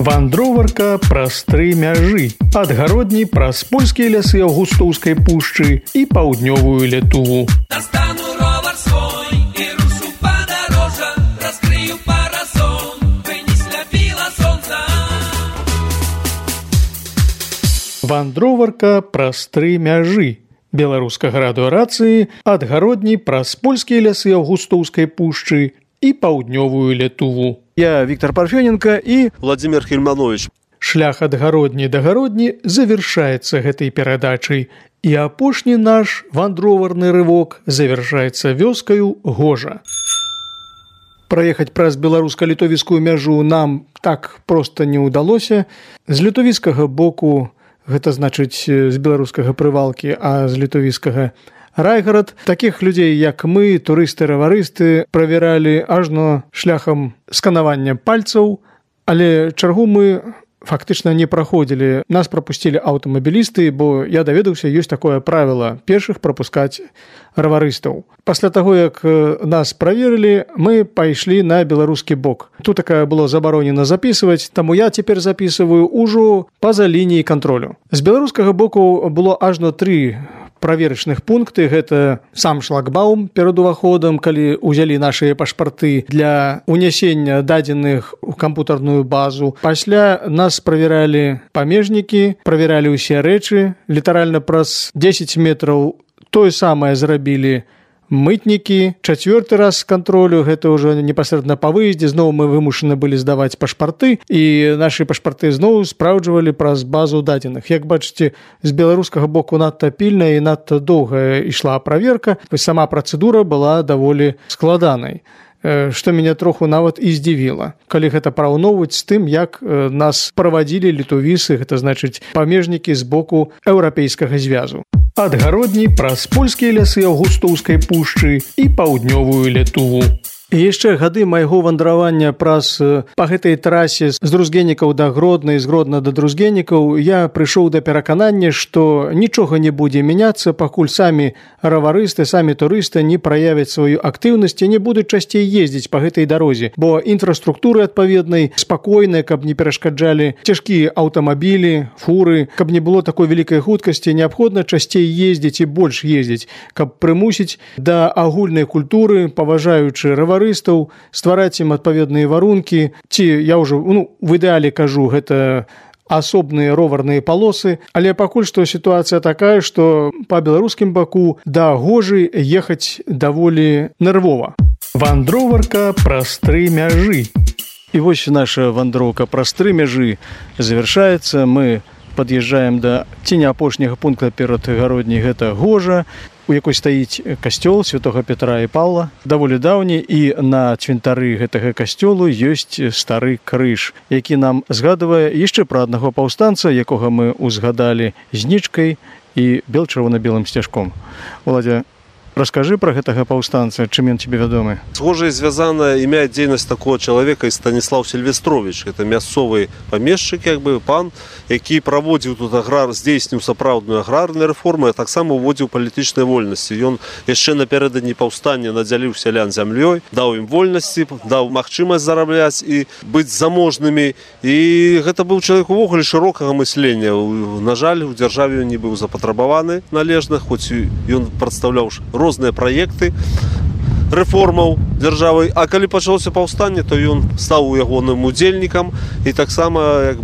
Вандроварка праз 3 мяжы. Адгародні праз польскія лясы Аўгустоўскай пушчы і паўднёвую Літву. Достану ровар свой і рушу падарожжа, раскрыю парасон, бы не сляпіла сонца. Вандроварка праз 3 мяжы. Беларускага радыёрацыі адгародні праз польскія лясы Аўгустоўскай пушчы і паўднёвую Літву. Я Віктор Парфёненко і Владимир Хельманович. Шлях ад гародні да гародні завяршаецца гэтай перадачай, і апошні наш вандроварны рывок завяршаецца вёскаю Гожа. Праехаць праз беларуска-літовіцкую мяжу нам так проста не ўдалося. З літовіцкага боку, гэта значыць з беларускага Прывалкі, а з літовіцкага Райгарад. Такіх людзей, як мы, турысты-раварысты, правяралі ажно шляхам сканавання пальцаў, але чаргу мы фактычна не праходзілі. Нас прапусцілі аўтамабілісты, бо я даведаўся, ёсць такое правіла першых прапускаць раварыстаў. Пасля таго, як нас праверылі, мы пайшлі на беларускі бок. Тут такая было забаронена запісваць, таму я цяпер запісваю ўжо па-за лініяй кантролю. З беларускага боку было ажно 3 праверачных пункты. Гэта сам шлагбаум перад уваходам, калі ўзялі нашыя пашпарты для унясення дадзеных у кампутарную базу. Пасля нас правяралі памежнікі, правяралі ўсе рэчы. Літаральна праз 10 метраў тое самае зрабілі мытнікі. 4-й раз кантролю, гэта ўжо непасрэдна па выездзе, зноў мы вымушаны былі здаваць пашпарты, і нашы пашпарты зноў спраўджвалі праз базу дадзеных. Як бачыце, з беларускага боку надта пільная і надта доўгая ішла праверка. Сама працэдура была даволі складанай, што мяне троху нават і здзівіла. Калі гэта параўноўваць з тым, як нас правадзілі літовісы, гэта значыць памежнікі з боку еўрапейскага звязу. Адгародні праз польскія лясы Аўгустоўскай пушчы і паўднёвую Літву. І яшчэ гады майго вандравання праз па гэтай трасе з Друзгенікаў да Гродна і з Гродна да Друзгенікаў я прыйшоў да пераканання, што нічога не будзе мяняцца, пакуль самі раварысты, самі турысты не праявяць сваю актыўнасць і не будуць часцей ездзіць па гэтай дарозе, бо інфраструктуры адпаведнай, спакойнай, каб не перашкаджалі цяжкія аўтамабілі, фуры, каб не было такой вялікай хуткасці, неабходна часцей ездзіць і больш ездзіць, каб прымусіць да агульнай культуры, паважаючы раварыстаў, ствараць ім адпаведныя варункі, ці я ўжо в ідэале кажу, гэта асобныя роварныя палосы, але пакуль што сітуацыя такая, што па беларускім баку да Гожы ехаць даволі нервова. Вандроварка праз 3 мяжы. І вось наша вандроўка праз 3 мяжы завяршаецца. Мы пад'язджаем да ці не апошняга пункта перад гародняй, гэта Гожа, у якой стаіць касцёл святога Петра і Паўла, даволі даўні, і на цвінтары гэтага касцёлу ёсць стары крыж, які нам згадвае яшчэ пра аднаго паўстанца, якога мы ўзгадалі знічкай і бел-чырвона-белым сцяжком. Уладзя, раскажы пра гэтага паўстанца, чым ён тебе вядомы? З Гожай звязана імя і дзейнасць такого чалавека і Станіслаў Сільвестрович. Гэта мясцовы памешчык, пан, які праводзіў тут здзейсніў сапраўдную аграрную рэформу, а таксама уводзіў палітычныя вольнасці. Ён яшчэ напярэдадні паўстання надзяліў сялян зямлёй, даў ім вольнасці, даў магчымасць зарабляць і быць заможнымі. І гэта быў чалавек увогуле шырокага мыслення. На жаль, у дзяржаве ён не быў запатрабаваны належна, хоць ён прадстаўляў розныя праекты рэформаў дзяржавы, а калі пачалося паўстанне, то ён стаў ягоным удзельнікам і таксама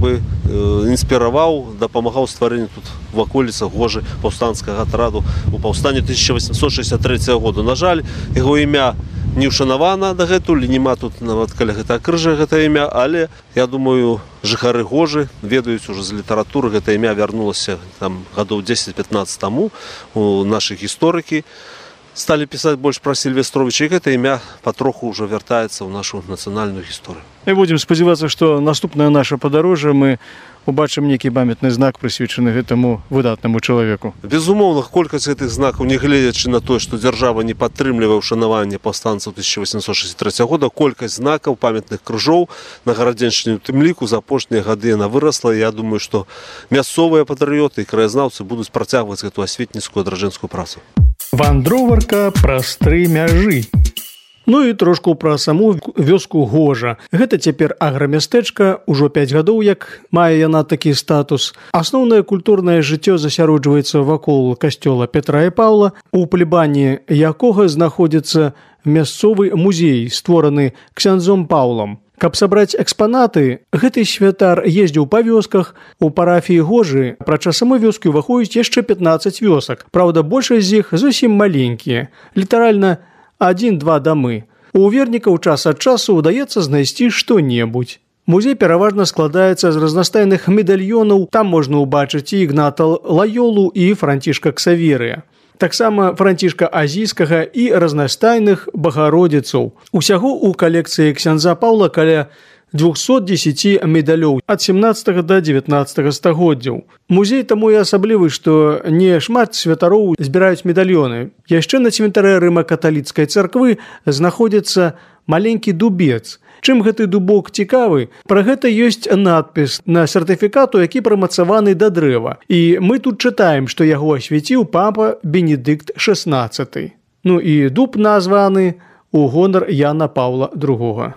інспіраваў, дапамагаў стварэнню тут в аколіцах Гожы паўстанцкага атраду у паўстанні 1863 году. На жаль, яго імя не ўшанавана дагэтуль, нема тут нават каля гэтага крыжа гэта імя, але я думаю, жыхары Гожы ведаюць ужо з літаратуры, гэта імя вярнулася там гадоў 10-15 таму, у нашы гісторыкі сталі пісаць больш пра Сільвестровича, і гэта імя патроху ўжо вяртаецца ў нашу нацыянальную гісторыю. І будзем спадзявацца, што наступнае наша падарожжа мы убачым нейкі памятны знак, прысвечаны гэтаму выдатнаму чалавеку. Безумоўна, колькасць гэтых знакаў, не гледзячы на тое, што дзяржава не падтрымлівае ўшанаванне паўстанцаў 1863 года, колькасць знакаў, памятных крыжоў на гарадзеншчыне, у тым ліку за апошнія гады яна вырасла. Я думаю, што мясцовыя патрыёты і краязнаўцы будуць працягваць гэту асветніцкую адраджэнскую працу. Вандроварка праз 3 мяжы. Ну і трошку пра саму вёску Гожа. Гэта цяпер аграмястэчка, ужо 5 гадоў, як мае яна такі статус. Асноўнае культурнае жыццё засяроджваецца вакол касцёла Петра і Паўла, у плебані якога знаходзіцца мясцовы музей, створаны ксяндзом Паўлам. Каб сабраць экспанаты, гэты святар ездзіў па вёсках. У парафіі Гожы прача самой вёскі ўваходзіць яшчэ 15 вёсак. Праўда, большасць з іх зусім маленькія, літаральна 1-2 дамы. У вернікаў час ад часу ўдаецца знайсці што-небудзь. Музей пераважна складаецца з разнастайных медальёнаў, там можна ўбачыць і Ігната Лайолу, і Францішка Ксаверыя. Таксама Францішка Азійскага і разнастайных багародзіцаў. Усяго ў калекцыі ксяндза Паўла каля 210 медалёў ад 17 до 19 стагоддзяў. Музей таму і асаблівы, што не шмат святароў збіраюць медальёны. Яшчэ на цвінтары рыма-каталіцкай царквы знаходзіцца маленькі дубец. Чым гэты дубок цікавы? Пра гэта ёсць надпіс на сертыфікату, які прымацаваны да дрэва. І мы тут чытаем, што яго асвяціў папа Бенедыкт XVI. Ну і дуб названы у гонар Яна Паўла II.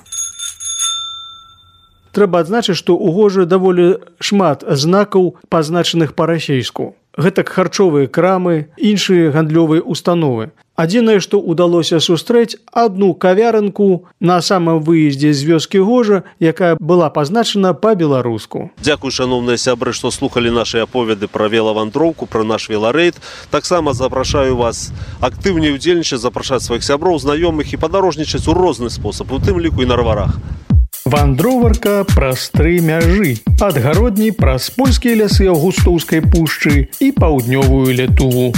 Трэба адзначыць, што ў Гожы даволі шмат знакаў, пазначаных па-расейску. Гэтак харчовыя крамы, іншыя гандлёвыя установы. Адзінае, што ўдалося сустрэць адну кавярынку на самым выездзе з вёскі Гожа, якая была пазначана па-беларуску. Дзякуй, шановныя сябры, што слухалі нашы аповеды пра велавандроўку, пра наш веларэйд. Таксама запрашаю вас актыўней удзельнічаць, запрашаць сваіх сяброў, знаёмых і падарожнічаць у розны спосаб, у тым ліку і на раварах. Вандроварка праз 3 мяжы. Ад гародні праз польскія лясы Аўгустоўскай пушчы і паўднёвую Літву.